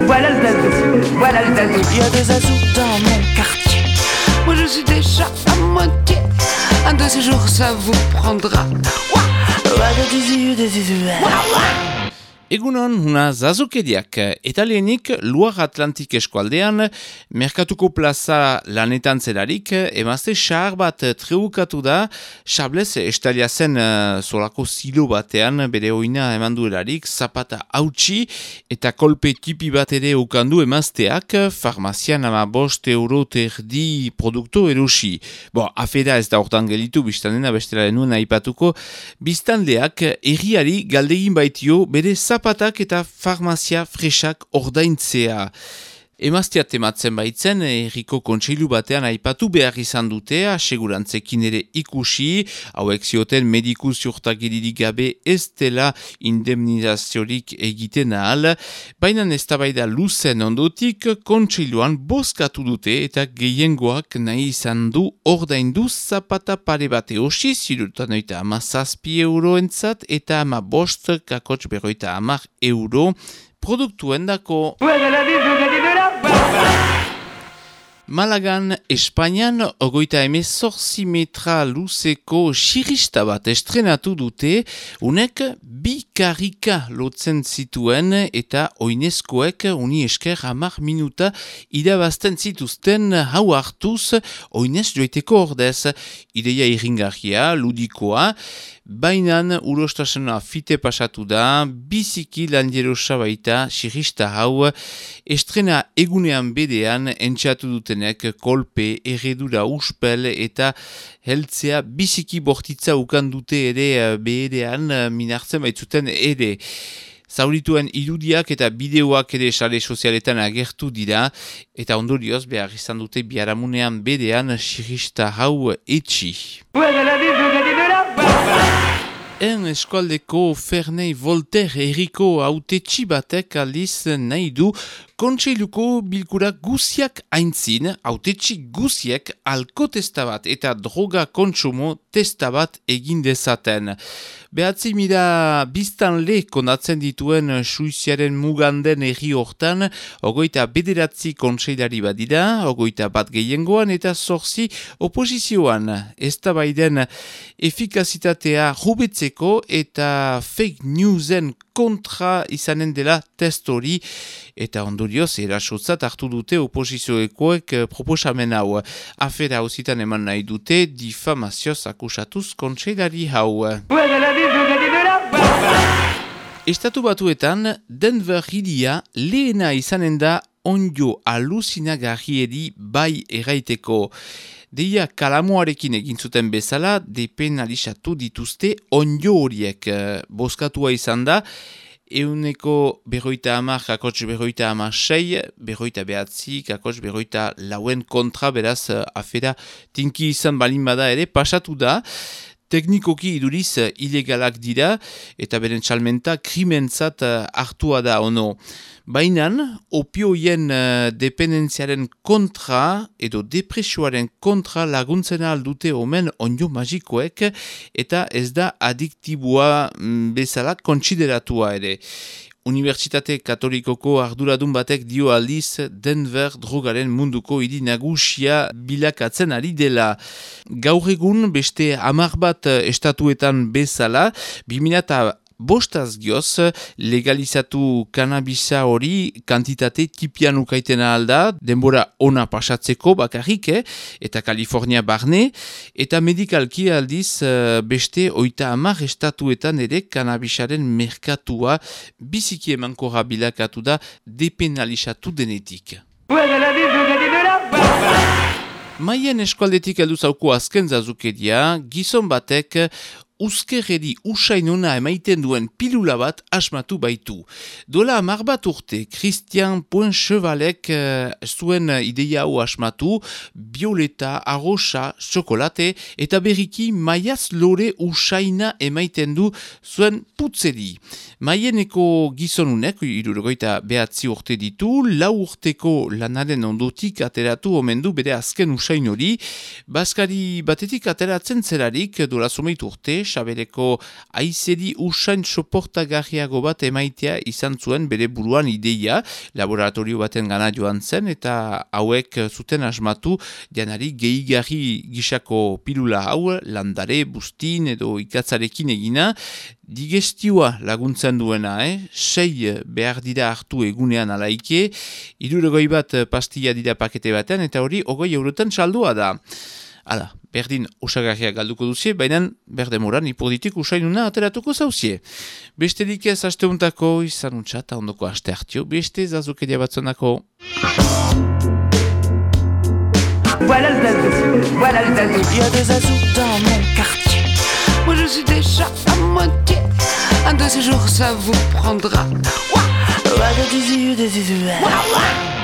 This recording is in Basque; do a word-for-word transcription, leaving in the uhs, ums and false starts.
Voilà le zazou, voilà le zazou. Il y a des zazous dans mon quartier. Moi je suis déjà à moitié. Un de ces jours ça vous prendra. Egunon, una zazukeriak, eta lehenik Luar Atlantik eskualdean, Merkatuko plaza lanetan zelarik, emazte xahar bat treukatu da, Xablez estalia zen uh, solako silo batean, bere oina eman duelarik, zapata hautsi, eta kolpe tipi bat ere ukandu emazteak, farmazian ama bost euro terdi produkto erosi. Bo, afera ez da hortan gelitu, biztanena bestela denuen aipatuko, biztanleak erriari galdegin baitio bere zapatak eta farmazia fresak ordaintzea. Emaztea tematzen baitzen, erriko kontseilu batean aipatu behar izan dute, asegurantzekin ere ikusi, hauek zioten mediku ziurtagiririk gabe ez dela indemnizaziorik egiten ahal, baina eztabaida luzen ondotik kontseiluan bozkatu dute eta gehiengoak nahi izan du ordaindu zapata pare bate osi, zirutan oita ama zazpi euroentzat eta ama bost kakotx berroita amar euro produktuen dako. Malagan, Espainian, ogoita emezortzi metra luzeko xirista bat estrenatu dute, unek bi karika lotzen zituen eta oinezkoek uni esker hamar minuta irabazten zituzten hau hartuz oinez joiteko ordez. Ideia irringarria, ludikoa, bainan urostasuna fite pasatu da, biziki landierosa baita xirista hau, estrena egunean bedean entxatu dutenek kolpe, erredura uspel eta heltzea biziki bortitza ukan dute ere beherean minartzen baitzuten ere. Zaurituen irudiak eta bideoak ere sare sozialetan agertu dira eta ondorioz behar izan dute biharamunean bedean xirista hau etxi. En eskualdeko Ferney Voltaire erriko autetxi batek aldiz nahi du kontseiluko bilkura guziak aintzin, autetxi guziek alkotesta bat eta droga kontsumo testa bat egin dezaten. Behatzi mila biztanle konatzen dituen Suiziaren muganden erri hortan, ogoita bederatzi kontseilari badira, ogoita bat gehiengoan eta zorzi oposizioan. Eztabaiden efikazitatea jubetzeko eta fake newsen kontra izanen dela test hori eta ondorioz erasotzat hartu dute oposizioekoek proposamen hau. Afera hauzitan eman nahi dute difamazioz akusatuz kontseilari hau. Estatu Batuetan Denver hiria lehena izanen da onjo alusinagarriedi bai erraiteko. Deia kalamoarekin egin zuten bezala depenalizatu dituzte onjo horiek. Bozkatua izan da, euneko berroita hamar, kakotx berroita hamar sei, berroita behatzi, kakotx berroita lauen kontra, beraz afera tinki izan balin bada ere, pasatu da. Teknikoki iduriz ilegalak dira eta beren txalmenta krimentzat hartua da ono. Bainan, opioien dependentziaren kontra edo depresioaren kontra laguntzena aldute omen onjo magikoek eta ez da adiktibua bezala kontsideratua ere. Unibertsitate Katolikoko arduradun batek dio aldiz Denver drogaren munduko hiri nagusia bilakatzen ari dela. Gaur egun beste hamar bat estatuetan bezala, bi mila bostaz gioz legalizatu kanabisa hori kantitate tipian ukaitena alda, denbora ona pasatzeko bakarrik, eh? Eta Kalifornia barne, eta medikalki aldiz beste oita hamar estatuetan ere kanabisaren merkatua biziki emankorra bilakatu da depenalizatu denetik. Maien eskualdetik heldu zauko azken zazukeria, gizon batek uzkerredi usainona emaiten duen pilula bat asmatu baitu. Dola hamar bat urte, Christian Poinchevalek uh, zuen ideia hau asmatu, bioleta, arrosa, txokolate eta berriki maiaz lore usaina emaiten du zuen putzeri. Maieneko gizonunek, hirurogeita behatzi urte ditu, lau urteko lanaren ondotik ateratu omen du bere azken usain hori, bazkari batetik ateratzen zelarik dola zomeit urte, sabeleko aizedi usain soportagarriago bat emaitea izan zuen bere buruan ideia, laboratorio baten gana joan zen, eta hauek zuten asmatu janari gehigarri gisako pilula hau, landare, bustin edo ikatzarekin egina, digestioa laguntzen duena, eh? sei behar dira hartu egunean alaike, hirurogei bat pastilla dira pakete batean, eta hori hogei eurotan saldua da. Hala, berdin osagarriak galduko duzie, baina berdemoran ipoditik usainuna ateratuko zauzie. Besterik ez asteuntako izan untxata ondoko aste hartio, beste zazukeria batzonako. Voilà le zazou, voilà le zazou. Il y a des zazous dans mon quartier. Moi je suis déjà à moitié. Un de ces jours ça vous prendra. Ouah, ouah, ouah, ouah.